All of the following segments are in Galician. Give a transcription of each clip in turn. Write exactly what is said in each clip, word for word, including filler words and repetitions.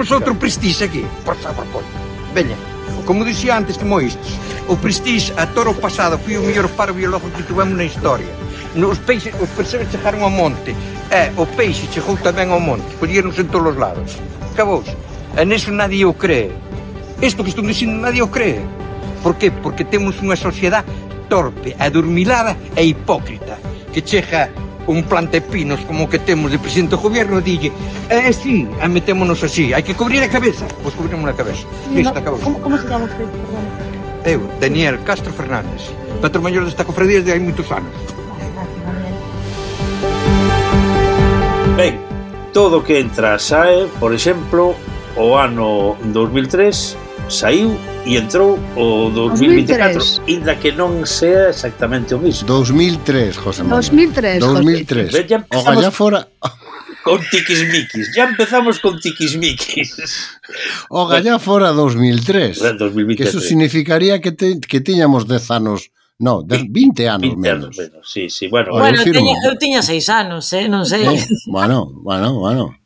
temos outro Prestige aquí. Por favor, coño. Veña, como dicía antes que moistes, o Prestige a toro pasado foi o mellor paro biológico que tivemos na historia. Os peixes, os percebes chegaron ao monte. E o peixe chegou tamén ao monte. Collieronse en todos os lados. Acabouse. E neso nadie o cree. Isto que estou dicindo nadie o cree. Por que? Porque temos unha sociedade torpe, adormilada e hipócrita. Que chega un plantepinos como que temos de presidente do gobierno e dille, eh, sí, a metémonos así, hai que cubrir a cabeza. Pois cubrimos a cabeza. Listo, acabou. ¿Cómo, ¿Cómo se llama usted? Perdón. Eu, Daniel Castro Fernández, patrón maior desta cofradía desde hai moitos anos. Ben, todo que entra sae, por exemplo, o ano dos mil tres saiu e entrou o dos mil vinte e catro, inda que non sea exactamente o mismo. dos mil tres, José Manuel. dos mil tres, dos mil tres. Ben, ya O gallá fora... con tiquismiquis. Ya empezamos con tiquismiquis. O gallá fora dos mil tres. dos mil vinte e tres. Que eso significaría que, te, que tiñamos dez anos... No, de vinte anos vinte menos. anos menos, sí, sí. Bueno, bueno eu, tiña, eu tiña seis anos, eh? Non sei. Eh, bueno, bueno, bueno.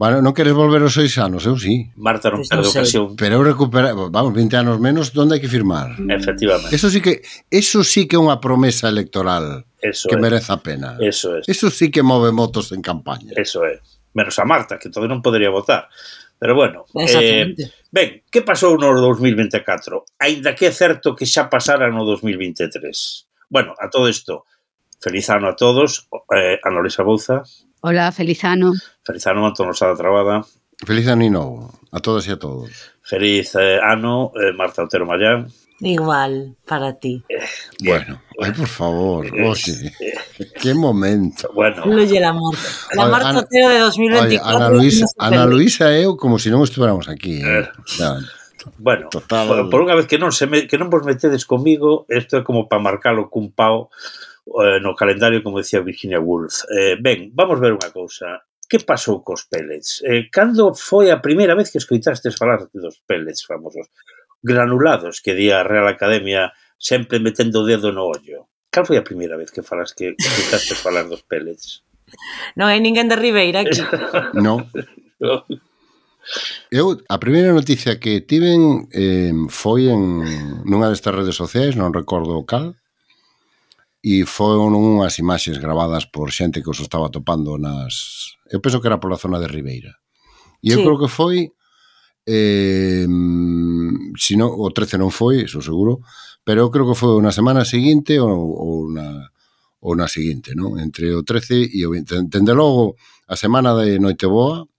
Bueno, non queres volver aos seis anos, eu sí. Marta non Pues perde non sei. ocasión. Pero eu recupera, vamos, vinte anos menos, onde hai que firmar? Efectivamente. Eso sí que eso sí que é unha promesa electoral Eso que é. merece a pena. Eso é. Eso sí que move motos en campaña. Eso é. Menos a Marta, que todavía non podería votar. Pero bueno, Exactamente. eh, ben, que pasou no dos mil vinte e catro? Aínda que é certo que xa pasara no dos mil vinte e tres. Bueno, a todo isto, feliz ano a todos, eh, Ana Luisa Bouza. Hola, feliz ano. Feliz ano, Antón Losada Trabada. Feliz ano novo a todas e a todos. Feliz eh, ano, eh, Marta Otero Mayán. Igual, para ti. Eh, Bueno, ay, por favor, oye, qué momento. Bueno, Fluye el amor. La Oye, Marta Ana- Otero de dos mil Oye, veinticuatro. Ana Luisa, no se Ana pelea. Luisa e eu como se non estuéramos aquí. Eh? Eh. O sea, bueno, Total. por, por unha vez que non se me, que non vos metedes comigo, isto é como para marcalo cun pau eh, no calendario, como decía Virginia Woolf. Eh, ben, vamos ver unha cousa. Que pasou cos pellets? Eh, cando foi a primeira vez que escoitastes falar dos pellets famosos? Granulados, que di a Real Academia sempre metendo o dedo no ollo. Cal foi a primeira vez que falas que escoitastes falar dos pellets? Non hai ninguén de Ribeira aquí. no. Eu, a primeira noticia que tiven eh, foi en nunha destas redes sociais, non recordo cal, e foron unhas imaxes gravadas por xente que os estaba topando nas... Eu penso que era pola zona de Ribeira. E eu Sí. creo que foi... Eh, si non, o trece non foi, iso seguro, pero eu creo que foi na semana seguinte ou, ou, na, ou na seguinte, non? Entre o trece e o vinte. Dende logo, a semana de Noiteboa,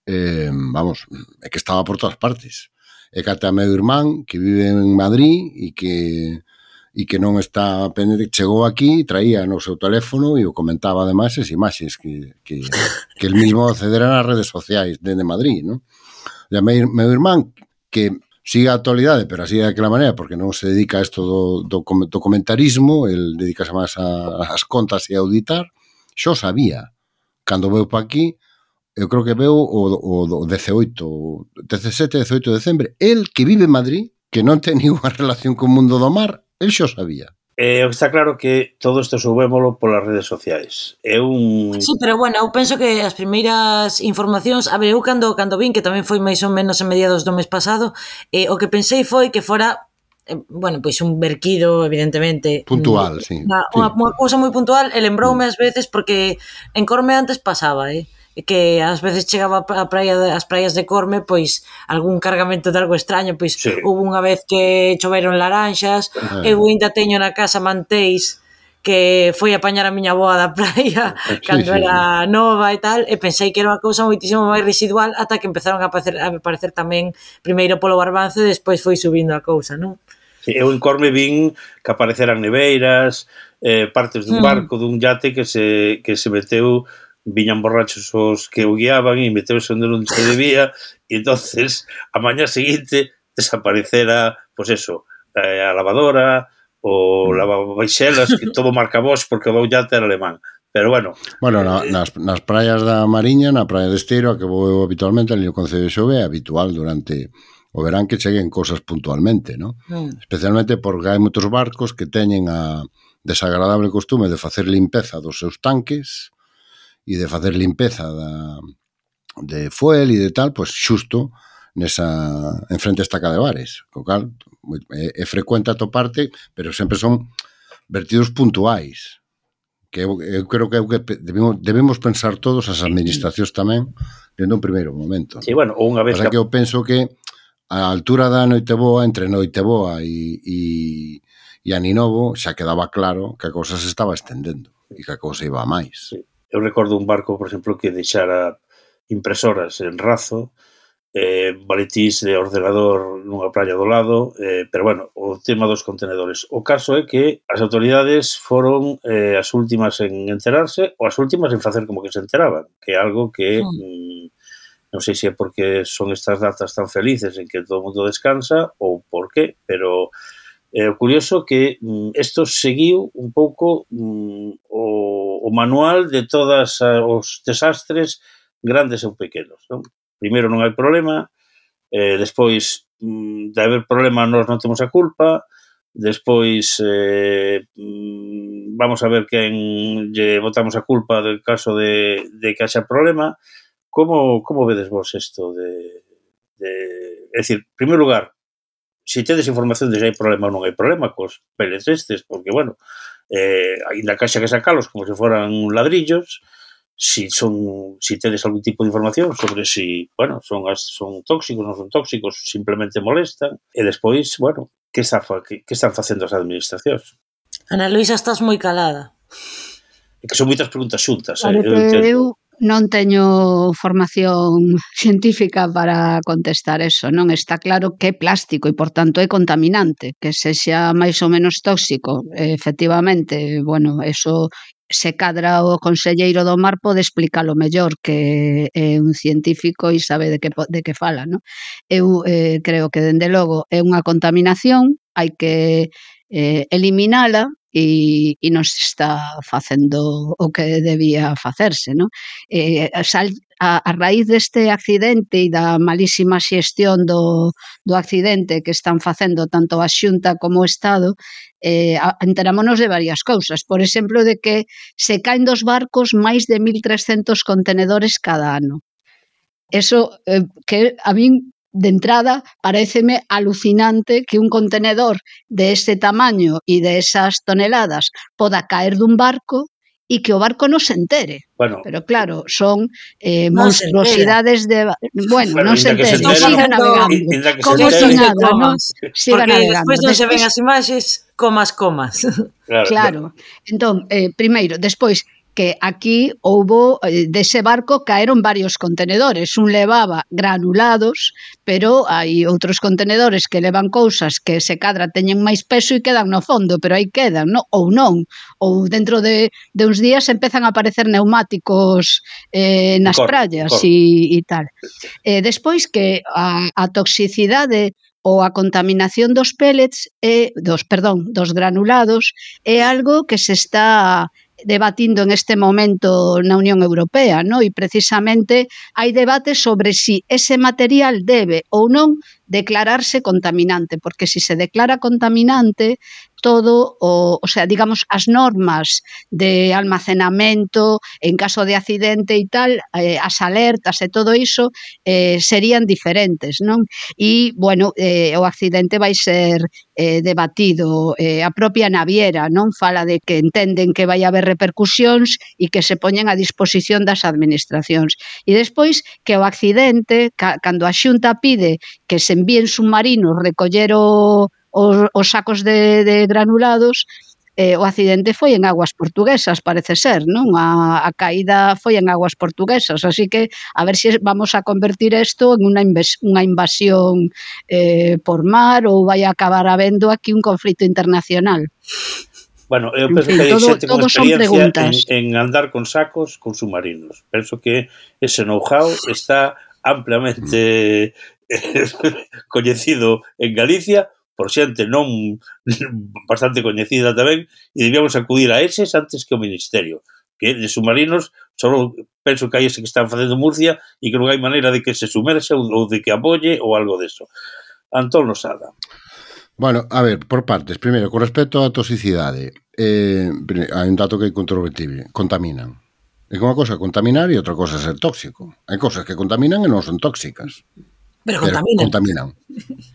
eh, vamos, é que estaba por todas partes. É que ata meu irmán, que vive en Madrid e que e que non está pendente, chegou aquí, traía no seu teléfono e o comentaba ademais as imaxes que, que, que el mismo accedera nas redes sociais dende Madrid, non? E a meu, meu irmán, que sigue a actualidade, pero así de aquela maneira, porque non se dedica a isto do, do, do comentarismo, el dedicase máis a, as contas e a auditar, xo sabía. Cando veu pa aquí, eu creo que veu o, o, o dezaoito, dezasete, dezaoito de decembre, el que vive en Madrid, que non ten ninguna relación co mundo do mar, el xo sabía. Eh, está claro que todo isto subémolo polas redes sociais. É un... Sí, pero bueno, eu penso que as primeiras informacións, a ver, eu cando, cando vin, que tamén foi máis ou menos en mediados do mes pasado, eh, o que pensei foi que fora, eh, bueno, pois un verquido, evidentemente. Puntual, mm, sí. Unha, sí. unha, unha cousa moi puntual, e lembroume ás veces, porque en Corme antes pasaba, eh, que ás veces chegaba a praia de, as praias de Corme, pois algún cargamento de algo extraño, pois Sí. hubo unha vez que choveron laranxas, Ah. eu ainda teño na casa manteis que foi apañar a miña boa da praia Sí, cando sí, era nova e tal, e pensei que era unha cousa moitísimo máis residual ata que empezaron a aparecer, a aparecer tamén primeiro polo Barbance e despois foi subindo a cousa, non? Sí, eu en Corme vin que apareceran neveiras, eh, partes dun Mm. barco, dun yate que se, que se meteu, viñan borrachos os que o guiaban e meteuse onde non se debía, e entonces a mañá seguinte desaparecera, pois pues eso, eh, a lavadora, o Mm. lavabaixelas, que todo marca Bosch porque o yate era alemán. Pero bueno, Bueno, na, nas, nas praias da Mariña, na praia de Esteiro, a que vou eu habitualmente, ali no Concello de Xove, é habitual durante o verán que cheguen cosas puntualmente, ¿no? Mm. Especialmente porque hai moitos barcos que teñen a desagradable costume de facer limpeza dos seus tanques e de facer limpeza da, de fuel e de tal, pois xusto nesa, enfrente a estaca de bares, co cal é, é frecuente atoparte, pero sempre son vertidos puntuais, que eu, eu creo que é o que debemos, debemos pensar todos, as administracións tamén, dentro un primeiro momento. Sí, bueno, ou unha vez que... que eu penso que a altura da Noiteboa, entre Noiteboa e, e, e Aninovo, xa quedaba claro que a cousa se estaba estendendo e que a cousa iba a máis. Sí. Eu recordo un barco, por exemplo, que deixara impresoras en Razo, eh, baletís de ordenador nunha playa do lado, eh, pero bueno, o tema dos contenedores. O caso é que as autoridades foron eh, as últimas en enterarse ou as últimas en facer como que se enteraban, que é algo que... Mm. Non sei se é porque son estas datas tan felices en que todo o mundo descansa ou por qué, pero é eh, curioso que isto mm, seguiu un pouco mm, o, o manual de todos os desastres grandes ou pequenos. Non? Primeiro non hai problema, eh, despois mm, de haber problema nós non temos a culpa, despois eh, mm, vamos a ver quen lle botamos a culpa del caso de, de que haxa problema. Como, como vedes vos isto de, de... É dicir, en primeiro lugar, se tedes información de se hai problema ou non hai problema cos pellets estes, porque, bueno, eh, ainda caixa que sacalos como se foran ladrillos, si son, si tedes algún tipo de información sobre si, bueno, son, as, son tóxicos, non son tóxicos, simplemente molestan, e despois, bueno, que, está, que, que están facendo as administracións? Ana Luisa, estás moi calada. É que son moitas preguntas xuntas, claro, eh, eu entendo. Eu non teño formación científica para contestar eso, non está claro que é plástico e, por tanto, é contaminante, que sexa máis ou menos tóxico. Efectivamente, bueno, eso se cadra o conselleiro do mar pode explicarlo mellor, que é un científico e sabe de que, de que fala, non? Eu eh, creo que, dende logo, é unha contaminación, hai que eh, eliminala, e, e non se está facendo o que debía facerse, non? Eh, a, a raíz deste accidente e da malísima xestión do, do accidente que están facendo tanto a Xunta como o Estado, eh, enterámonos de varias cousas. Por exemplo, de que se caen dos barcos máis de mil trescentos contenedores cada ano. Eso eh, que a min de entrada, paréceme alucinante que un contenedor de ese tamaño e de esas toneladas poda caer dun barco e que o barco non se entere. Bueno, pero claro, son eh, non monstruosidades de... Bueno, bueno non se entere, non siga navegando. Como si nada, non? Siga navegando. Porque despois non se ven as imaxes, comas, comas. Claro, claro. Entón, eh, primeiro, despois, que aquí houbo, dese barco caeron varios contenedores, un levaba granulados, pero hai outros contenedores que levan cousas que se cadra teñen máis peso e quedan no fondo, pero aí quedan, no? Ou non, ou dentro de, de uns días empezan a aparecer neumáticos eh, nas cor, praias cor. E, e tal. Eh, despois que a, a toxicidade ou a contaminación dos pellets, é, dos, perdón, dos granulados, é algo que se está debatindo en este momento na Unión Europea, ¿no? E precisamente hai debate sobre si ese material debe ou non declararse contaminante, porque si se declara contaminante, todo, o, o sea, digamos, as normas de almacenamento en caso de accidente e tal, eh, as alertas e todo iso eh, serían diferentes, non? E, bueno, eh, o accidente vai ser eh, debatido, eh, a propia naviera, non? Fala de que entenden que vai haber repercusións e que se poñen a disposición das administracións. E despois que o accidente, ca, cando a Xunta pide que se envíen submarinos recoller o Os, os sacos de, de granulados, eh, o accidente foi en aguas portuguesas, parece ser, non? A, a caída foi en aguas portuguesas, así que a ver se vamos a convertir isto en unha, unha invasión eh, por mar ou vai a acabar habendo aquí un conflito internacional. Bueno, eu penso en fin, que hai todo, xente con experiencia en, en andar con sacos con submarinos. Penso que ese know-how está ampliamente coñecido en Galicia por xente non bastante coñecida tamén, e debíamos acudir a eses antes que o Ministerio, que de submarinos só penso que hai ese que están facendo Murcia e que non hai maneira de que se sumerxa ou de que apoye ou algo deso. Antón Losada. Bueno, a ver, por partes. Primeiro, con respecto á toxicidade, eh, hai un dato que é incontrovertible. Contaminan. É que unha cosa é contaminar e outra cosa é ser tóxico. Hai cosas que contaminan e non son tóxicas. Pero contaminan. Pero contaminan.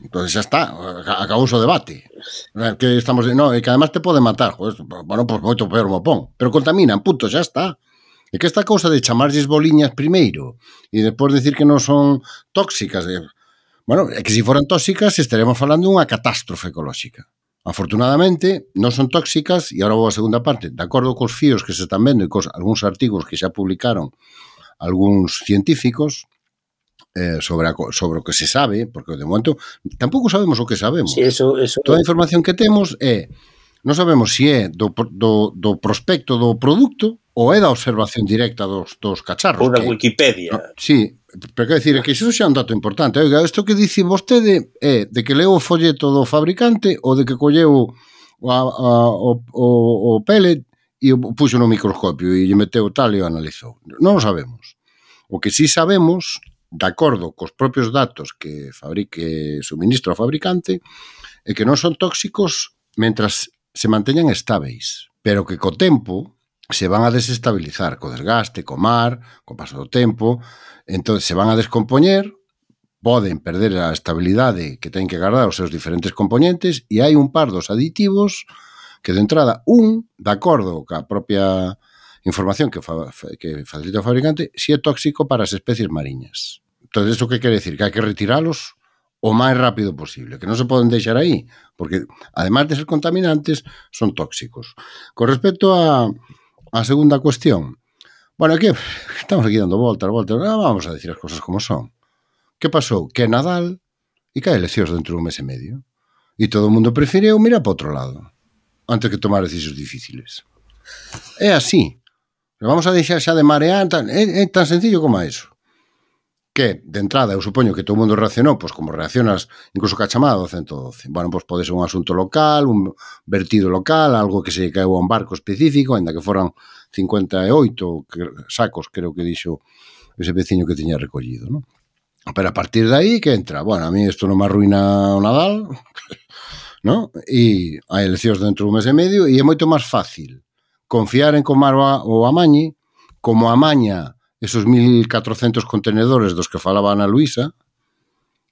Entón xa está, acabou o debate. Que estamos, no, e que además te pode matar. Joder, bueno, pois pues moito peor mo pon. Pero contaminan, punto, xa está. E que esta cousa de chamarlles boliñas primeiro e depois decir que non son tóxicas, de, bueno, é que se foran tóxicas estaremos falando dunha catástrofe ecolóxica. Afortunadamente, non son tóxicas, e agora vou a segunda parte, de acordo cos fíos que se están vendo e cos algúns artigos que xa publicaron algúns científicos eh, sobre, a, sobre o que se sabe, porque de momento tampouco sabemos o que sabemos. Sí, eso, eso... Toda a información que temos é, non sabemos se é do, do, do prospecto do produto ou é da observación directa dos, dos cacharros. Ou da que, Wikipedia. No, sí, pero quero dicir, é que iso xa é un dato importante. Oiga, isto que dice vostede é de que leu o folleto do fabricante ou de que colleu o, a, o, o, o pellet e o puxo no microscopio e lle meteu tal e o analizou. Non o sabemos. O que sí sabemos, de acordo cos propios datos que fabrique suministro ao fabricante, é que non son tóxicos mentras se manteñan estáveis, pero que co tempo se van a desestabilizar co desgaste, co mar, co paso do tempo, entón se van a descompoñer, poden perder a estabilidade que ten que guardar os seus diferentes componentes e hai un par dos aditivos que de entrada, un, de acordo ca propia información que, fa, que facilita o fabricante, si é tóxico para as especies mariñas. Entón, isto que quere decir? Que hai que retiralos o máis rápido posible, que non se poden deixar aí, porque, además de ser contaminantes, son tóxicos. Con respecto a a segunda cuestión, bueno, aquí estamos aquí dando voltas, voltas, vamos a decir as cosas como son. Que pasou? Que é Nadal e que hai eleccións dentro dun mes e medio. E todo o mundo preferiu mirar para outro lado antes que tomar decisións difíciles. É así. Vamos a deixar xa de marear, é, é tan sencillo como eso. Que, de entrada, eu supoño que todo o mundo reaccionou, pois como reaccionas incluso ca chamada do ciento doce. Bueno, pois pode ser un asunto local, un vertido local, algo que se caeu a un barco específico, ainda que foran cincuenta e oito sacos, creo que dixo ese veciño que tiña recollido, non? Pero a partir de aí, que entra? Bueno, a mí isto non me arruina o Nadal, non? E hai eleccións dentro dun mes e medio e é moito máis fácil confiar en comar o amañe, como amaña esos mil catrocentos contenedores dos que falaba Ana Luisa,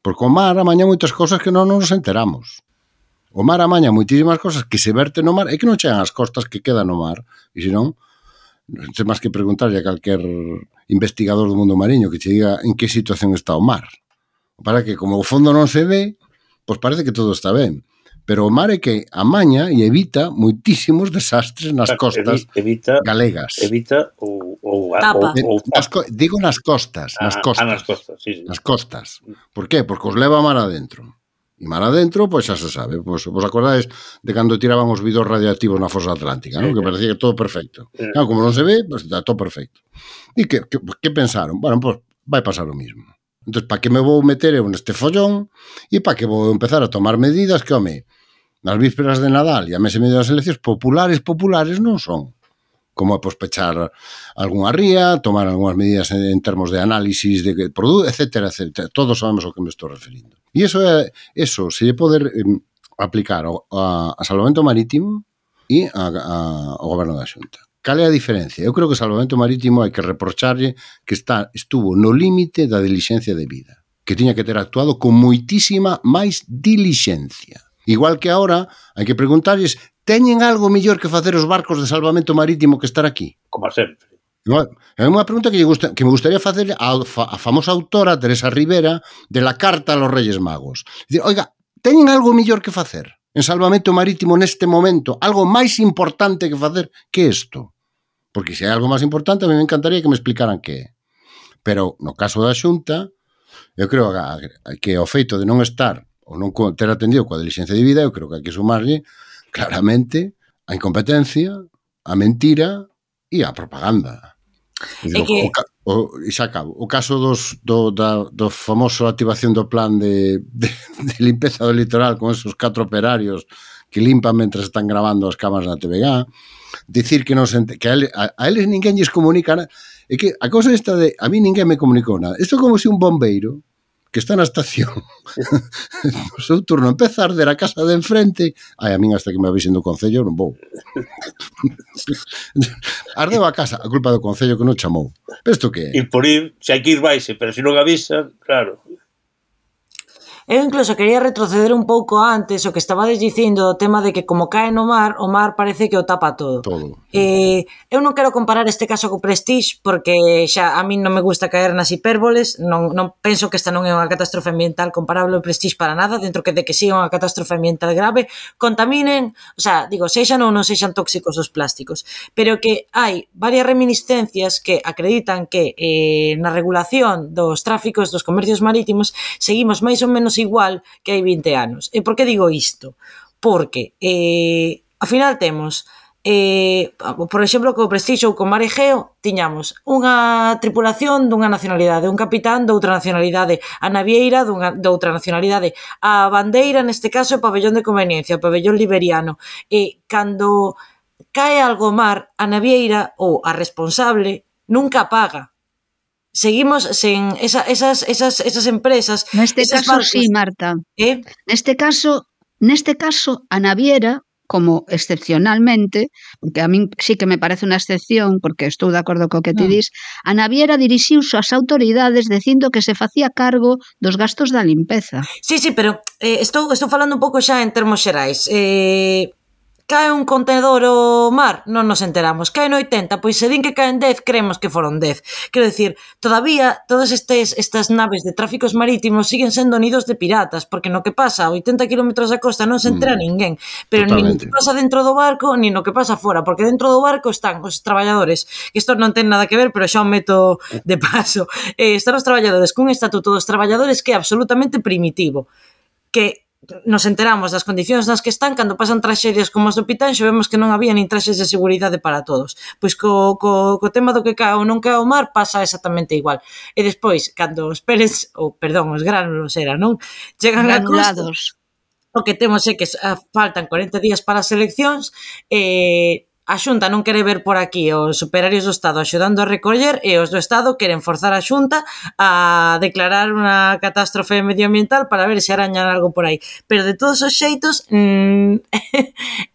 porque o mar amaña moitas cosas que non nos enteramos. O mar amaña moitísimas cosas que se verten no mar e que non chegan ás costas, que quedan no mar. E senón, non sei máis que preguntarlle a calquer investigador do mundo mariño que che diga en que situación está o mar. Para que, como o fondo non se ve, pois parece que todo está ben. Pero o mar é que amaña e evita moitísimos desastres nas costas evita, galegas. Evita ou... ou, Tapa. ou, ou nas, digo nas costas, nas costas. Ah, nas costas, sí, sí. Nas costas. Por qué? Porque os leva a mar adentro. E mar adentro, pois xa se sabe. Pois, vos acordades de cando tiraban os vidros radiactivos na fosa atlántica, sí, ¿no? Que parecía que todo perfecto. Sí. Claro, como non se ve, pois está todo perfecto. E que, que, que pensaron? Bueno, pois vai pasar o mismo. Entón, para que me vou meter eu neste follón e para que vou empezar a tomar medidas que, home, nas vísperas de Nadal e a mes e medio das eleccións populares, populares non son. Como é, pois, pechar algunha ría, tomar algunhas medidas en, en termos de análisis de produto, etcétera, etcétera. Todos sabemos ao que me estou referindo. E iso é, eso se lle poder eh, aplicar ao, a, a salvamento marítimo e a, a, ao goberno da Xunta. Cal é a diferencia? Eu creo que o salvamento marítimo hai que reprocharlle que está estuvo no límite da dilixencia de vida, que tiña que ter actuado con moitísima máis dilixencia. Igual que agora hai que preguntarlles, teñen algo mellor que facer os barcos de salvamento marítimo que estar aquí? Como sempre. É unha pregunta que, lle gusta, que me gustaría facer a, a famosa autora Teresa Rivera de la Carta a los Reyes Magos. Dicir, oiga, teñen algo mellor que facer en salvamento marítimo neste momento? Algo máis importante que facer que isto? Porque se hai algo máis importante, a mí me encantaría que me explicaran que é. Pero no caso da Xunta, eu creo que o feito de non estar ou non ter atendido coa dilixencia de vida, eu creo que hai que sumarlle claramente a incompetencia, a mentira e a propaganda. É que... O, o, e xa acabo. O caso dos, do, da, do famoso activación do plan de, de, de limpeza do litoral con esos catro operarios que limpan mentre están grabando as cámaras na T V G, dicir que, non se ente, que a, eles, a, a eles ninguén lles comunica nada. É que a cousa esta de a mí ninguén me comunicou nada. Isto é como se un bombeiro que está na estación o seu turno empeza a arder a casa de enfrente, ai, a min hasta que me avisen do Concello non vou. Ardeu a casa, a culpa do Concello que non chamou. Pero isto que é? E por ir, se hai que ir vaise, pero se non avisan, claro. Eu incluso quería retroceder un pouco antes o que estabades dicindo o tema de que como cae no mar, o mar parece que o tapa todo. Todo. Eh, eu non quero comparar este caso co Prestige porque xa a min non me gusta caer nas hipérboles, non, non penso que esta non é unha catástrofe ambiental comparable ao Prestige para nada, dentro que de que siga unha catástrofe ambiental grave, contaminen, o sea, digo, sexan ou non sexan tóxicos os plásticos, pero que hai varias reminiscencias que acreditan que eh, na regulación dos tráficos dos comercios marítimos seguimos máis ou menos igual que hai vinte anos. E por que digo isto? Porque eh, ao final temos eh, por exemplo, co Prestige ou co Mar Egeo tiñamos unha tripulación dunha nacionalidade, un capitán doutra nacionalidade, a navieira dunha, doutra nacionalidade, a bandeira neste caso é pabellón de conveniencia, pabellón liberiano, e cando cae algo mar, a navieira ou a responsable nunca paga. Seguimos sen esa, esas, esas, esas empresas. Neste esas caso, barcos, sí, Marta. ¿eh? Neste caso, neste caso, a naviera, como excepcionalmente, porque a min sí que me parece unha excepción, porque estou de acordo co que ti dis, a naviera dirixiuse ás autoridades dicindo que se facía cargo dos gastos da limpeza. Sí, sí, pero eh, estou, estou falando un pouco xa en termos xerais. Eh... Cae un contenedor ao mar, non nos enteramos. Cae no oitenta, pois se din que caen dez, creemos que foron dez. Quero dicir, todavía todas estes, estas naves de tráficos marítimos siguen sendo nidos de piratas, porque no que pasa a oitenta kilómetros da costa non se entera mm, ninguén. Pero ni no que pasa dentro do barco, ni no que pasa fora, porque dentro do barco están os traballadores, que isto non ten nada que ver, pero xa o meto de paso. Eh, están os traballadores cun estatuto dos traballadores que é absolutamente primitivo, que nos enteramos das condicións nas que están cando pasan traxedias como as do Pitanxo, vemos que non había nin traxes de seguridade para todos. Pois co, co, co tema do que cae ou non cae ao mar pasa exactamente igual. E despois, cando os pellets, ou perdón, os gránulos era, non? Chegan a costa, o que temos é que faltan corenta días para as eleccións, e a Xunta non quere ver por aquí os operarios do Estado axudando a recoller e os do Estado queren forzar a Xunta a declarar unha catástrofe medioambiental para ver se arañan algo por aí. Pero de todos os xeitos, mmm,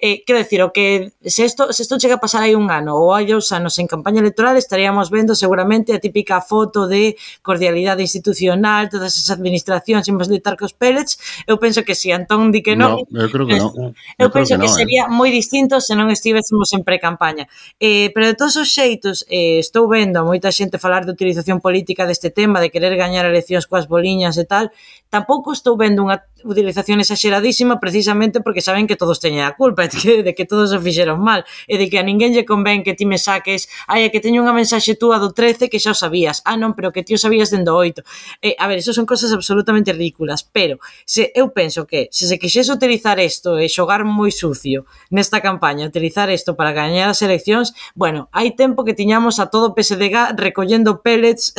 eh, quero decir, o que se isto, se isto chega a pasar aí un ano ou hai dous anos en campaña electoral, estaríamos vendo seguramente a típica foto de cordialidade institucional, todas esas administracións imos litar cos pellets. Eu penso que si Antón di que non, no, eu creo que non. Eu, eu penso que, que no, sería eh. moi distinto se non estivésemos en pre-campaña. Eh, pero de todos os xeitos, eh, estou vendo a moita xente falar de utilización política deste tema, de querer gañar eleccións coas boliñas e tal. Tampouco estou vendo unha utilización exageradísima precisamente porque saben que todos teñen a culpa de que, de que todos o fixeron mal e de que a ninguén lle convén que ti me saques ai, que teño unha mensaxe túa do trece que xa o sabías. Ah, non, pero que ti o sabías dendo oito. Eh, a ver, eso son cosas absolutamente ridículas, pero se eu penso que se se quixese utilizar isto e xogar moi sucio nesta campaña, utilizar isto para gañar as eleccións, bueno, hai tempo que tiñamos a todo P S D G recollendo pellets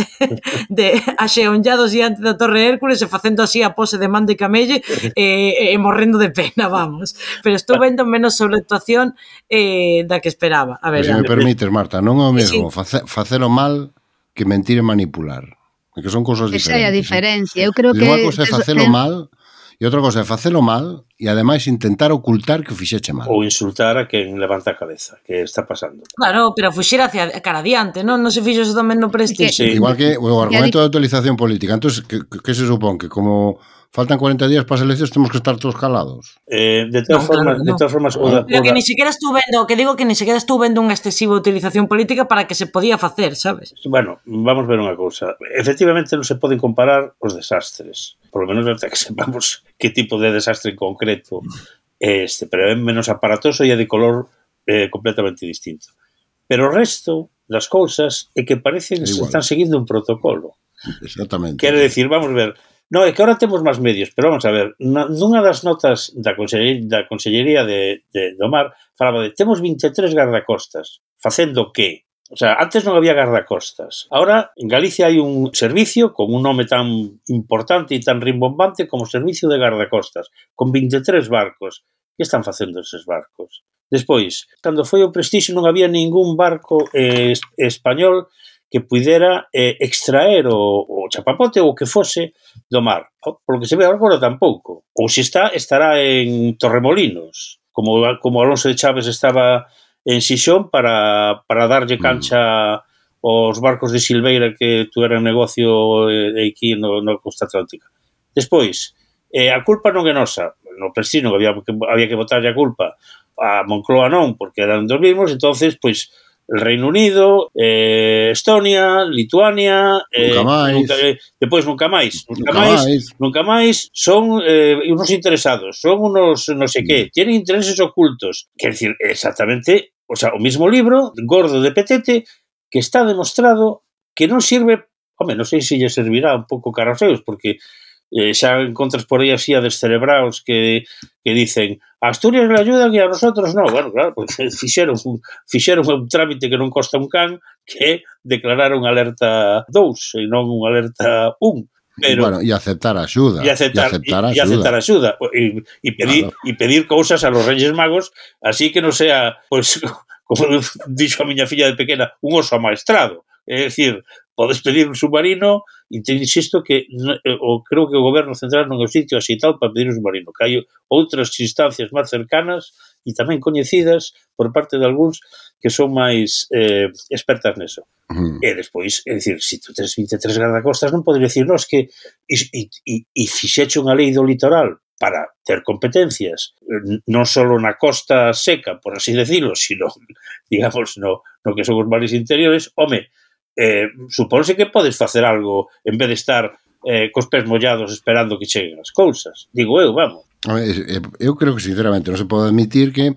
de axeonllados diante da Torre Hércules e facendo así a pose de man de camelle e, e morrendo de pena, vamos. Pero estou vendo menos sobreactuación eh, da que esperaba. A ver, se me permites, Marta, non é o mesmo sí. face, facelo mal que mentir e manipular. Que son cousas diferentes. Esa é a diferencia. Eu creo que unha cousa é facelo mal e outra cosa é facelo mal e ademais intentar ocultar que o fixeche mal. Ou insultar a quen levanta a cabeza, que está pasando. Claro, pero fuxir hacia cara adiante, non? Non se fixo eso tamén no Prestige. Sí. Igual que o argumento de utilización política. Entón, que, que se supón? Que como faltan cuarenta días para as eleccións temos que estar todos calados. Eh, de todas no, formas, claro, de todas formas, no. o da, pero que ni siquiera estou vendo, que digo que ni siquiera estou vendo unha excesiva utilización política para que se podía facer, sabes? Bueno, vamos ver unha cousa. Efectivamente non se poden comparar os desastres. Por lo menos hasta que sepamos que tipo de desastre en concreto é este, pero é menos aparatoso e é de color eh, completamente distinto. Pero o resto das cousas é que parecen que están seguindo un protocolo. Exactamente. Quere decir, vamos ver, no, é que ahora temos máis medios, pero vamos a ver, nunha das notas da Consellería, da Consellería de, de, do Mar falaba de temos vinte e tres gardacostas, facendo que? O sea, antes non había gardacostas. Ahora, en Galicia hai un servicio con un nome tan importante e tan rimbombante como Servicio de Gardacostas, con vinte e tres barcos. Que están facendo eses barcos? Despois, cando foi o Prestige non había ningún barco eh, español que pudera eh, extraer o, o chapapote ou o que fose do mar. Por lo que se ve agora tampouco. Ou se está, estará en Torremolinos, como, como Alonso de Chaves estaba en Xixón para, para darlle cancha aos barcos de Silveira que tuveran negocio eh, aquí no, no Costa Atlántica. Despois, eh, a culpa non é nosa. No Prestige non había que, había que botarlle a culpa a Moncloa non, porque eran dos mismos, entonces, pois, el Reino Unido, eh, Estonia, Lituania, eh, nunca máis, nunca, eh, depois nunca máis, nunca, nunca máis, máis, nunca máis, son eh, unos interesados, son unos no sé qué, tienen intereses ocultos, quer decir, exactamente, o sea, o mismo libro, gordo de petete, que está demostrado que non sirve, home, non sei se lle servirá un pouco cara aos seus, porque eh, xa encontras por aí así a descerebraos que, que dicen a Asturias le ayudan e a nosotros non. Bueno, claro, porque fixeron un, fixeron un trámite que non costa un can, que declarar unha alerta dous e non unha alerta un. Pero, bueno, e aceptar a axuda. E aceptar, e aceptar a axuda. E aceptar a axuda. E, e, pedir, claro. e pedir cousas a los Reyes Magos, así que non sea, pues, como dixo a miña filla de pequena, un oso amaestrado. É dicir, podes pedir un submarino e te insisto que o, creo que o goberno central non é o sitio axitado para pedir un submarino, que hai outras instancias máis cercanas e tamén coñecidas por parte de algúns que son máis eh, expertas neso. Uh-huh. E despois, é dicir, se tu tens vinte e tres gardacostas non podes dicir, non, es que e, e, e fixeche unha lei do litoral para ter competencias, non só na costa seca, por así decirlo, sino, digamos, no, no que son os mares interiores, home, Eh, supónse que podes facer algo en vez de estar eh, cos pés mollados esperando que cheguen as cousas. Digo eu, vamos. Eu creo que, sinceramente, non se pode admitir que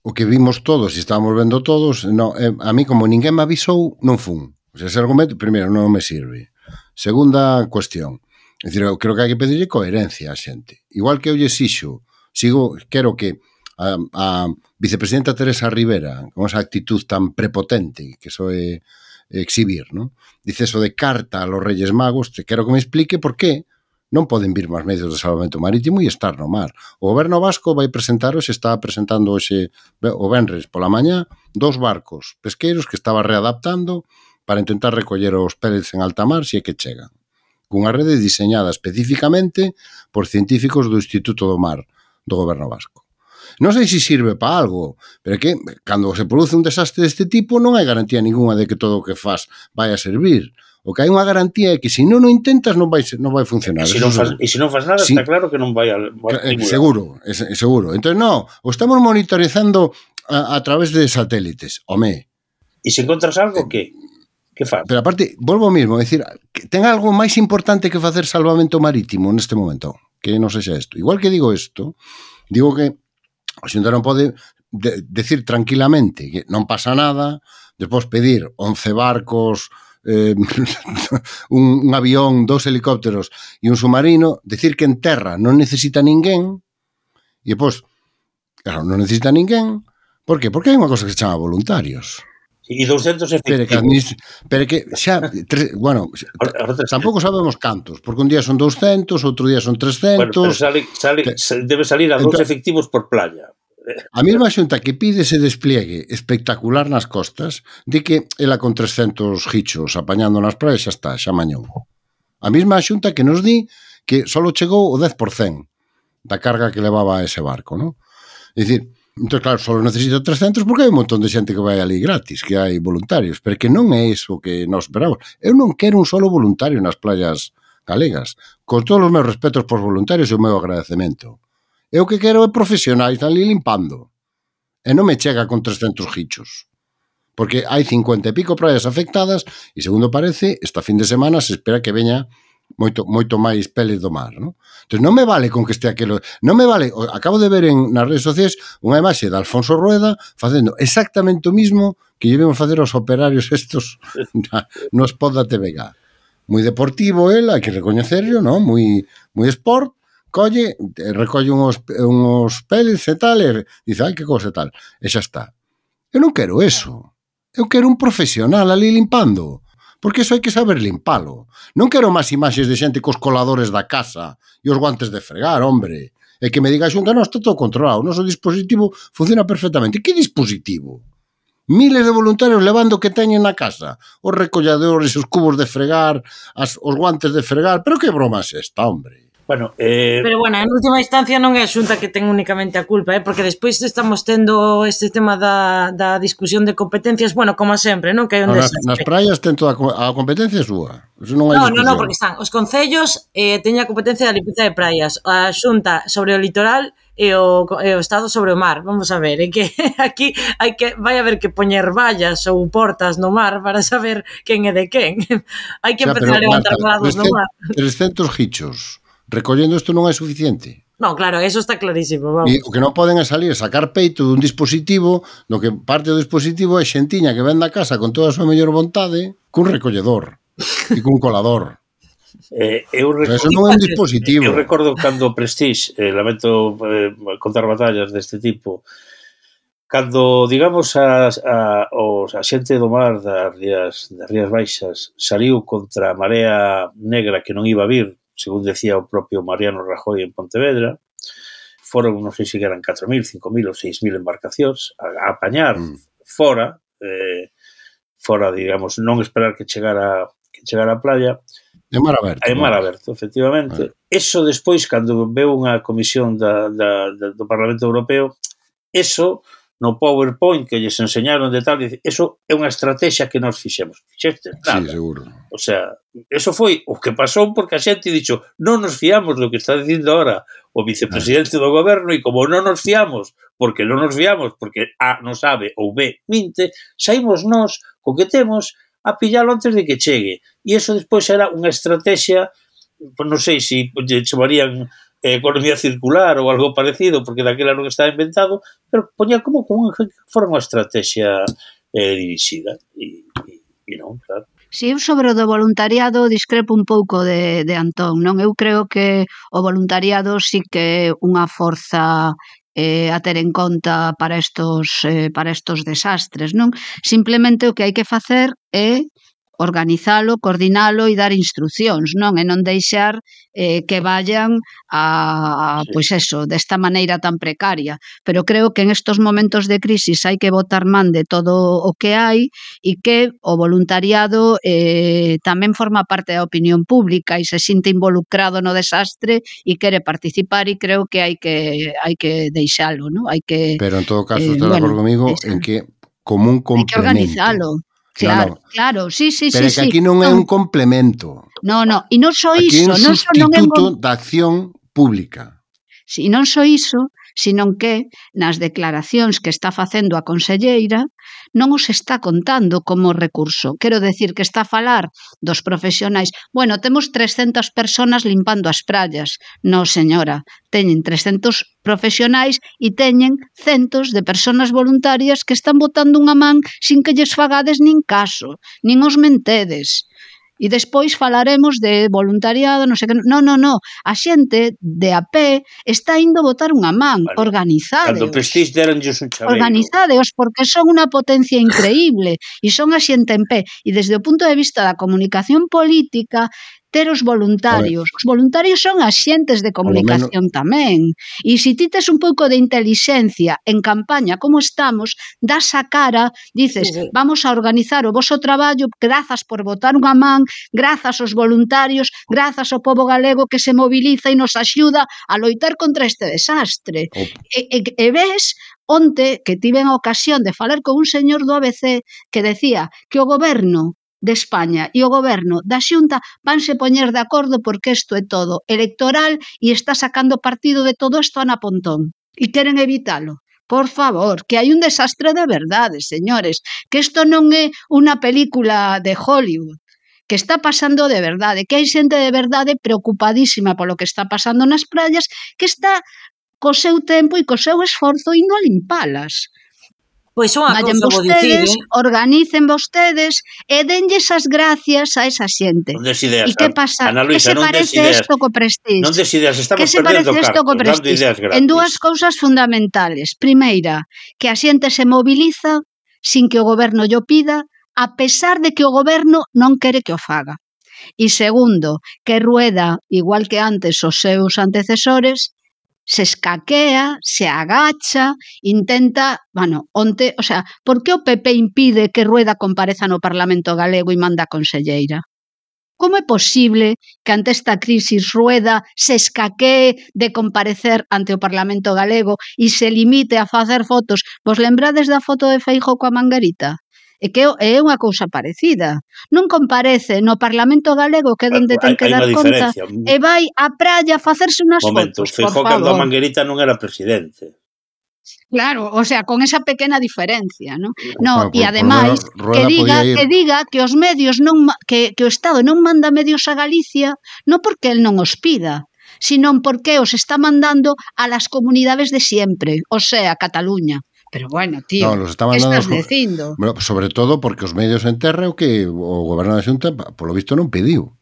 o que vimos todos e estábamos vendo todos, no, eh, a mí, como ninguén me avisou, non fun. O sea, ese argumento, primeiro, non me sirve. Segunda cuestión. É dicir, eu creo que hai que pedirle coherencia á xente. Igual que eu lle xixo, sigo, quero que a, a vicepresidenta Teresa Rivera, con esa actitud tan prepotente que soe exhibir, ¿no? Dice eso de carta a los Reyes Magos, te quero que me explique por qué non poden vir máis medios de salvamento marítimo e estar no mar. O goberno vasco vai presentar, se está presentando hoxe, o venres pola mañá, dos barcos pesqueiros que estaba readaptando para intentar recoller os pellets en alta mar se é que chegan. Cunha rede diseñada especificamente por científicos do Instituto do Mar do goberno vasco. Non sei se sirve para algo, pero é que cando se produce un desastre deste tipo non hai garantía ninguna de que todo o que faz vai a servir. O que hai unha garantía é que se non o intentas non vai, non vai funcionar. E se non faz, e se non faz nada, sí, está claro que non vai a... Seguro, é, seguro. Entón, non, o estamos monitorizando a, a través de satélites. Home. E se encontras algo, que? Que faz? Pero aparte, volvo ao mismo, é dicir, ten algo máis importante que facer salvamento marítimo neste momento, que non sexa isto. Igual que digo isto, digo que a Xunta non pode de, decir tranquilamente que non pasa nada, despois pedir once barcos, eh, un, un avión, dos helicópteros e un submarino, decir que en terra non necesita ninguén, e despois, claro, non necesita ninguén, por que? Porque hai unha cosa que se chama voluntarios. E douscentos efectivos. Pero que, administ... pero que xa, tres, bueno, tampouco sabemos cantos, porque un día son douscentos, outro día son trescentos. Bueno, pero sale, sale, que... debe salir a dous efectivos por playa. A mesma xunta que pide ese despliegue espectacular nas costas, di que ela con trescentos hichos apañando nas praias xa está, xa mañou. A mesma xunta que nos di que só chegou o dez por cento da carga que levaba ese barco, non? É dicir, entón, claro, só necesito trescentos porque hai un montón de xente que vai ali gratis, que hai voluntarios, pero que non é iso que nos esperamos. Eu non quero un solo voluntario nas playas galegas. Con todos os meus respetos por voluntarios e o meu agradecemento. Eu que quero é profesionais ali limpando. E non me chega con trescentos hichos. Porque hai cincuenta e pico praias afectadas e, segundo parece, esta fin de semana se espera que veña moito moito máis peles do mar, non? Entón non me vale con que este aquilo, non me vale, acabo de ver en nas redes sociais unha imaxe de Alfonso Rueda facendo exactamente o mismo que llevemos facer os operarios estos no spot da T V G. Moi deportivo el, hai que recoñecerlo, non? Moi moi sport, colle, recolle uns uns peles e tal, e dice, ai, que cosa e tal, e xa está. Eu non quero eso. Eu quero un profesional ali limpando. Porque iso hai que saber limpalo. Non quero máis imaxes de xente cos coladores da casa e os guantes de fregar, hombre. E que me diga a xunta, non, está todo controlado, o noso dispositivo funciona perfectamente. Que dispositivo? Miles de voluntarios levando o que teñen na casa. Os recolladores, os cubos de fregar, as, os guantes de fregar. Pero que broma é esta, hombre? Bueno, eh... Pero, bueno, en última instancia non é a Xunta que ten únicamente a culpa, eh? Porque despois estamos tendo este tema da, da discusión de competencias, bueno, como sempre, non? Que hai un No, nas, desastre. nas praias ten toda a competencia súa. Eso non hai No, no, discusión. no, porque están os concellos eh, teñen a competencia da limpeza de praias, a Xunta sobre o litoral e o, e o Estado sobre o mar. Vamos a ver, é que aquí hai que vai haber que poñer vallas ou portas no mar para saber quen é de quen. Hai que Xa, empezar a levantar grados no mar. trescentos hichos. Recollendo isto non é suficiente. No, claro, eso está clarísimo, vamos. E o que non poden é salir, sacar peito dun dispositivo, no que parte do dispositivo é xentiña que ven da casa con toda a súa mellor vontade, cun recolledor e cun colador. Eh, eu recordo, eso non é un dispositivo. Eu recordo cando Prestige, eh, lamento eh, contar batallas deste tipo, cando, digamos, a, a, os, a xente do mar das Rías, das Rías Baixas saliu contra a marea negra que non iba a vir, según decía o propio Mariano Rajoy en Pontevedra, foron, non sei se eran catro mil, cinco mil ou seis mil embarcacións a, a apañar mm. fora, eh, fora, digamos, non esperar que chegara que chegara a playa, de mar aberto. É mar aberto, efectivamente. Ah. Eso despois, cando veu unha comisión da, da, da, do Parlamento Europeo, eso no PowerPoint que lles enseñaron de tal, eso é unha estrategia que nos fixemos. Fixeste? Nada. Sí, seguro. O sea, eso foi o que pasou porque a xente dixo, non nos fiamos do que está dicindo ahora o vicepresidente do goberno e como non nos fiamos, porque non nos fiamos, porque A non sabe ou B minte, saímos nós co que temos a pillalo antes de que chegue. E eso despois era unha estrategia, non sei se lle chamarían eh, economía circular ou algo parecido, porque daquela non estaba inventado, pero poñía como, como que fora unha estrategia eh, dirixida. E, e, e non, claro. Si eu sobre o do voluntariado discrepo un pouco de, de Antón, non? Eu creo que o voluntariado sí que é unha forza eh, a ter en conta para estos, eh, para estos desastres, non? Simplemente o que hai que facer é organizalo, coordinalo e dar instruccións, non? E non deixar eh, que vayan a, a Sí. pois eso, desta maneira tan precaria. Pero creo que en estos momentos de crisis hai que botar man de todo o que hai e que o voluntariado eh, tamén forma parte da opinión pública e se sinte involucrado no desastre e quere participar e creo que hai que hai que deixalo, non? Hai que Pero en todo caso, eh, estás de bueno, acordo comigo esa- en que como un hai que complemento. organizalo. Claro, No, no. claro, sí, sí, Pero sí, é que sí. aquí non é un complemento. No, no, e non só Aquí é iso, un non só non é un sustituto da acción pública. Si non só iso, senón que nas declaracións que está facendo a conselleira non os está contando como recurso. Quero decir que está a falar dos profesionais. Bueno, temos trescentas persoas limpando as praias. No, señora, teñen trescentos profesionais e teñen centos de persoas voluntarias que están botando unha man sin que lles fagades nin caso, nin os mentedes. E despois falaremos de voluntariado, non sei que... No, no, no. A xente de a pé está indo botar unha man. Vale. Organizadeos. Cando Prestige deranllos un chaveiro. Organizadeos, porque son unha potencia increíble e son a xente en pé. E desde o punto de vista da comunicación política, ter os voluntarios. Os voluntarios son axentes de comunicación tamén. E se ti tes un pouco de intelixencia en campaña como estamos, das a cara, dices, Sí, sí. vamos a organizar o voso traballo, grazas por botar unha man, grazas aos voluntarios, grazas ao pobo galego que se moviliza e nos axuda a loitar contra este desastre. O- E, e, e ves, onte que tiven a ocasión de falar con un señor do A B C que decía que o goberno de España e o goberno da Xunta vanse poñer de acordo porque isto é todo electoral e está sacando partido de todo isto Ana Pontón e queren evitalo. Por favor, que hai un desastre de verdade, señores, que isto non é unha película de Hollywood, que está pasando de verdade, que hai xente de verdade preocupadísima polo que está pasando nas praias, que está co seu tempo e co seu esforzo indo a limpalas. Pois unha Vayan cousa vou dicir, vostedes, eh? organicen vostedes e denlles as gracias a esa xente. Non des ideas. E que pasa? Ana Que Luisa, se non des parece ideas. isto co Prestige? Non des ideas, estamos Que se perdendo parece isto co cartos, dando Prestige? ideas gratis. En dúas cousas fundamentales. Primeira, que a xente se moviliza sin que o goberno llo pida, a pesar de que o goberno non quere que o faga. E segundo, que Rueda, igual que antes os seus antecesores, se escaquea, se agacha, intenta, bueno, onte, o sea, por que o P P impide que Rueda compareza no Parlamento galego e manda a conselleira? Como é posible que ante esta crisis Rueda se escaquee de comparecer ante o Parlamento galego e se limite a facer fotos? Vos lembrades da foto de Feijóo coa manguerita? É que é unha cousa parecida. Non comparece no Parlamento galego, que é onde ten que dar conta, e vai á praia a facerse unhas Momento, fotos, por Feijóo cando a favor. manguerita non era presidente. Claro, o sea, con esa pequena diferencia, ¿no? No, Claro, e por- por ademais Rueda- Rueda que diga podía ir- que diga que os medios non ma- que que o Estado non manda medios a Galicia, non porque el non os pida, sino porque os está mandando a las comunidades de siempre, o sea, Cataluña. Pero bueno, tío, No, los está que mandando estás os- dicindo? Bueno, sobre todo porque os medios en terra o que o goberno da Xunta, polo visto, non pediu.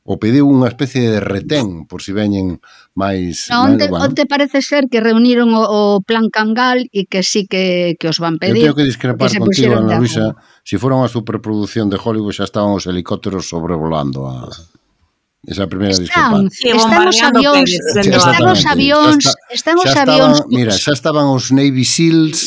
O pediu unha especie de retén por si veñen máis... No, onte, bueno, onte parece ser que reuniron o, o plan Cangal e que sí que, que os van eu pedir. teño que discrepar se contigo, puxeron de Ana Luisa. acordo. Si fora unha superproducción de Hollywood xa estaban os helicópteros sobrevolando a... Esa é a primeira Están, discrepancia. Sí, están os bombardeando avións, Pérez, están os Exactamente. avións, Xa está- están os xa avións. estaban, mira, xa estaban os Navy Seals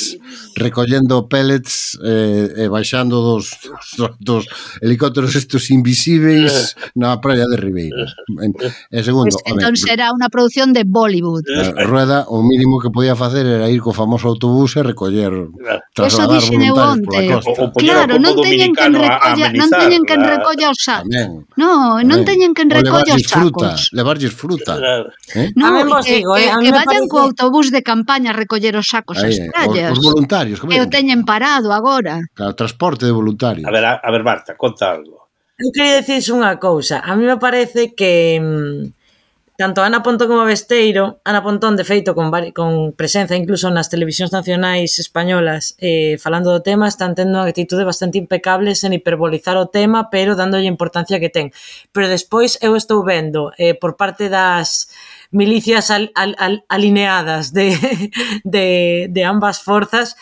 recollendo pellets eh, e baixando dos, dos, dos helicópteros estos invisíveis na praia de Ribeira. En, e segundo, Pues, entón será unha produción de Bollywood. a Rueda o mínimo que podía facer era ir co famoso autobús e recoller, Eso trasladar dixen eu voluntarios pola onte. costa. O- o poñer Claro, ao non pobo teñen quen dominicano a- a recolla, non amenizar teñen quen la- recolla os sacos. Tamén. No, non tamén. teñen quen O recolla os levarlles fruta, sacos. levarlles fruta. Claro. Eh? No, A mí vos que, digo, que, eh, a mí que me vayan co parece- autobús de campaña a recoller os sacos ás Aí, praias. os, os voluntarios, que Que o teñen parado agora. Claro, transporte de voluntarios. A ver, a, a ver, Marta, conta algo. Eu queria dicirse unha cousa. A mí me parece que mm, tanto Ana Pontón como Besteiro, Ana Pontón, de feito, con, vari, con presenza incluso nas televisións nacionais españolas eh, falando do tema, están tendo unha actitude bastante impecable sen hiperbolizar o tema, pero dándolle a importancia que ten. Pero despois eu estou vendo eh, por parte das milicias al, al, al, alineadas de, de, de ambas forzas,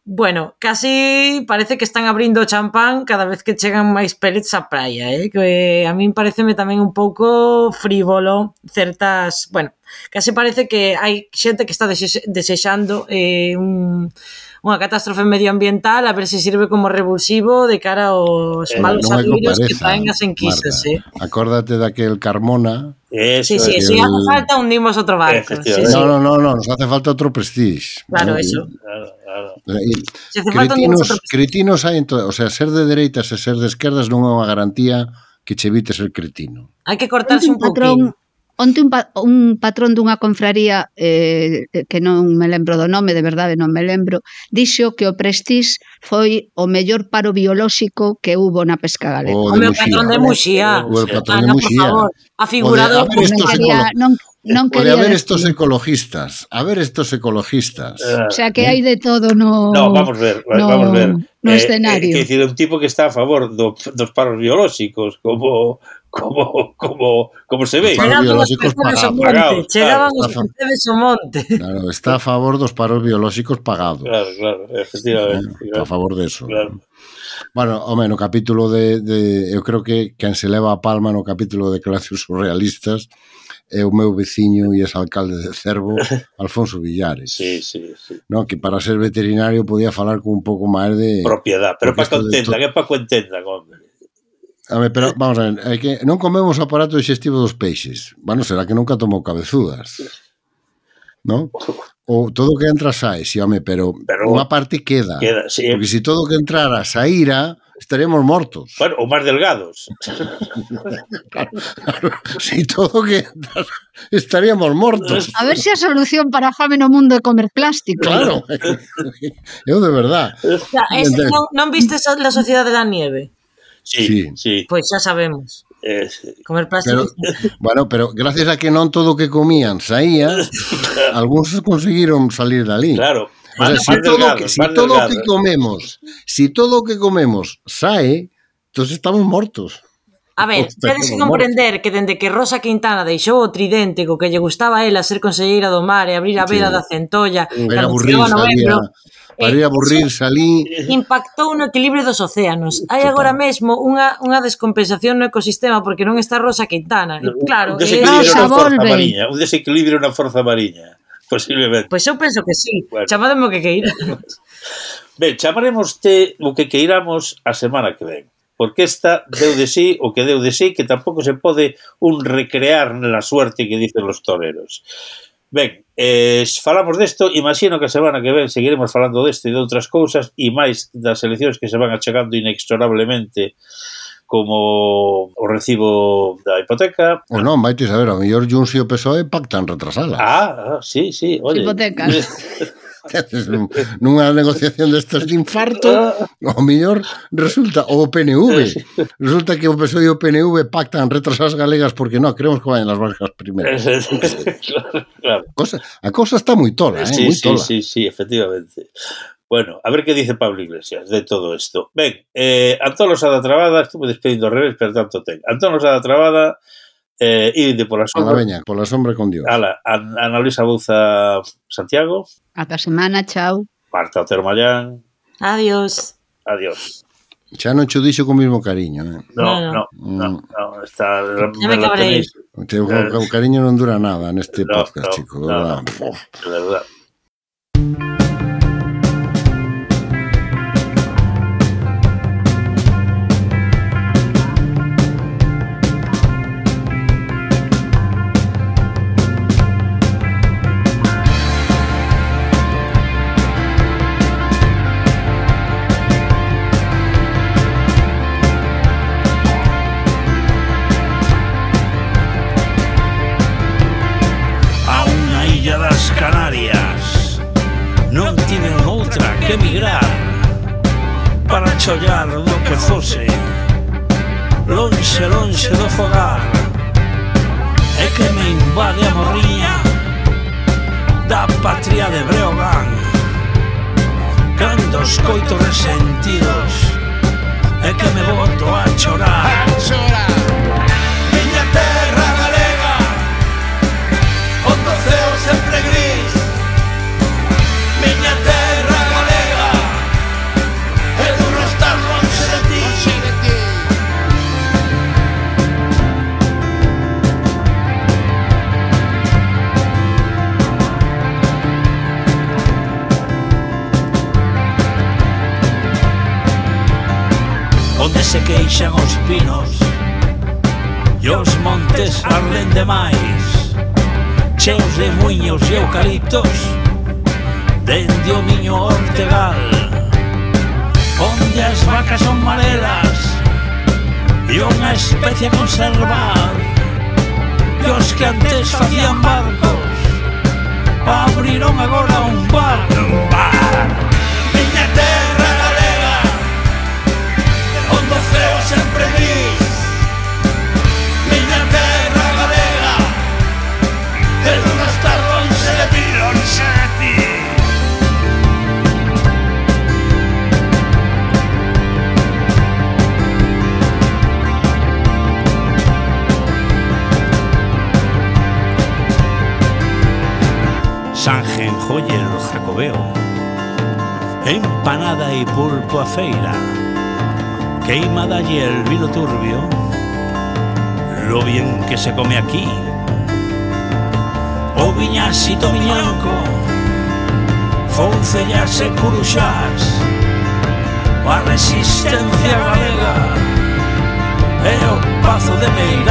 bueno, casi parece que están abrindo o champán cada vez que chegan máis pellets á praia, eh? Que a min pareceme tamén un pouco frívolo certas, bueno, casi parece que hai xente que está dese- desexando eh, un, unha catástrofe medioambiental a ver se sirve como revulsivo de cara aos Eh, malos non é que amigos que pareza, traen as enquisas, Marta. eh? Acórdate daquel Carmona. Eso Sí, sí, es. si el- hace falta hundimos outro barco. Sí, Efectivamente. sí. No, no, no, no, nos hace falta outro prestige. Claro, ¿no? eso. Claro, claro. E, Se hace falta hundimos cretinos, outro cretinos hai en todo, o sea, ser de dereitas e ser de esquerdas non é unha garantía que che evite ser cretino. Hai que cortarse un Onte un patrón, pouquinho. onte un, pa, un patrón dunha confraría eh, que non me lembro do nome, de verdade non me lembro, dixo que o Prestige foi o mellor paro biolóxico que hubo na pesca galega. O O de meu Muxía. patrón de Muxía. O el patrón de Ana, por Muxía. favor, a figurado. O de- a ver, non estos quería, ecolo- non, non Pode quería haber decir. estos ecologistas, a ver estos ecologistas. Eh, O sea que hai de todo no, No, vamos ver, no, vamos ver. no Eh, escenario. É dicir, un tipo que está a favor do, dos paros biolóxicos, como como como como se ve. Paros Chegaban os biolóxicos percebes ao pagados. monte. Pagados, Chegaban claro. os percebes ao monte. Claro, está a favor dos paros biolóxicos pagados. Claro, claro, efectivamente. Eh, Está a favor de eso. Claro. Bueno, home, no capítulo de, de eu creo que quen se leva a palma no capítulo de declaracións surrealistas é o meu veciño e ex-alcalde de Cervo, Alfonso Villares. Sí, sí, sí. No, que para ser veterinario podía falar con un pouco máis de... Propiedad, pero Porque para que isto de entendan, to- é para que entendan, hombre. A ver, pero vamos a ver, é que non comemos o aparato digestivo dos peixes. Bueno, será que nunca tomou cabezudas. ¿No? O todo o que entra sae, sí, home, pero, Pero- unha parte queda. Queda, sí. Porque se si todo o que entrara saíra, estaríamos mortos. Bueno, ou máis delgados. Si todo o que entrara, estaríamos mortos. A ver se a solución para a fame no mundo é comer plástico. Claro. Eu de verdad. O sea, es, non, non vistes a la Sociedade da Nieve? Sí, Sí. sí. Pois xa sabemos. Eh, sí. Comer Pero, plástico. bueno, pero gracias a que non todo o que comían saía, algúns conseguiron salir dali. Claro. O sea, Más- si más todo, delgados, que, si más todo o que delgados. comemos, si todo o que comemos sae, entonces estamos mortos. A ver, tedes que comprender que dende que Rosa Quintana deixou o tridente co que lle gustaba a ela ser conselleira do mar e abrir a vela Sí. da Centolla, Era cando aburrir, chegaba novembro, salía, para ir a aburrir, salí. impactou no equilibrio dos océanos. Hai Total. agora mesmo unha, unha descompensación no ecosistema porque non está Rosa Quintana. E, claro, un e desequilibrio Rosa na forza volve. mariña, un desequilibrio na forza mariña, posiblemente. pois eu penso que sí. Bueno. Chamademe o que queira. Ben, chamaremos te o que queiramos a semana que ven, porque esta deu de sí o que deu de sí, que tampouco se pode un recrear na suerte que dicen los toreros. Ben, eh, falamos desto, imagino que a semana que ven seguiremos falando desto e de outras cousas e máis das eleccións que se van achegando inexorablemente como o recibo da hipoteca. O non, vaite saber, ao mellor Junts e o P S O E pactan retrasala. Ah, ah, sí, sí, oye. Hipotecas. Nunha negociación destas de infarto, ao mellor resulta, o P N V, resulta que o P S O E e o P N V pactan retrasar as galegas porque non, queremos que vayan as vascas primeiro. claro, claro. Cosa, a cosa está moi tola, eh, Sí, moi sí, tola. sí, sí, efectivamente. Bueno, a ver que dice Pablo Iglesias de todo isto. Ben, eh, Antón Losada Trabada, estuve despedindo ao revés, pero tanto ten. Antón Losada Trabada, eh, ide pola Pola sombra. veña, pola sombra con Dios. Ala, An- Ana Luisa Bouza Santiago, Ata semana, chao. Marta Otero Mallán, Adiós. adiós. Xa non cho dixo con mismo cariño, eh. No, No, no, no, no, está... Ya me cabrei. O teu o cariño non dura nada neste No, podcast, no, chico. no, de verdad. no, de verdad. A unha illa das Canarias non tiven outra que emigrar para chollar do que fose lonxe, lonxe do fogar e que me invade a morriña da patria de Breogán cando escoito resentidos e que me boto a chorar. Miña terra galega onde o ceo sempre gris, miña terra galega é duro estar lonxe de ti. Onde se queixan os pinos e os montes arden demais, cheos de muiños e eucaliptos dende o miño Ortegal, onde as vacas son marelas e unha especie a conservar, e os que antes facían barcos abriron agora un bar. Un bar. Miña terra galega onde o ceo sempre gris, miña terra galega é duro estar lonxe de ti, lonxe de ti. Sanjen, joyer, jacobeo, empanada y pulpo a feira, queimada y el vino turbio, lo bien que se come aquí. O viñasito viñanco, foncellas e curuxás, a resistencia galega e o pazo de Meirás.